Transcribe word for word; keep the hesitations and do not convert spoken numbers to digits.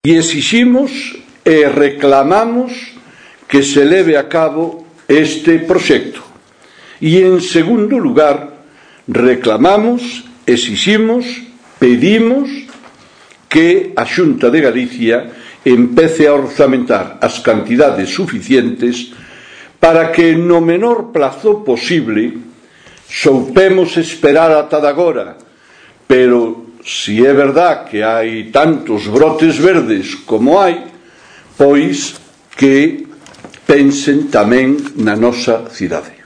E exiximos e reclamamos que se leve a cabo este proxecto. E, en segundo lugar, reclamamos, exiximos, pedimos que a Xunta de Galicia empece a orzamentar as cantidades suficientes para que no menor plazo posible soupemos esperar ata de agora, pero si é verdad que hai tantos brotes verdes como hai, pois que pensen tamén na nosa cidade.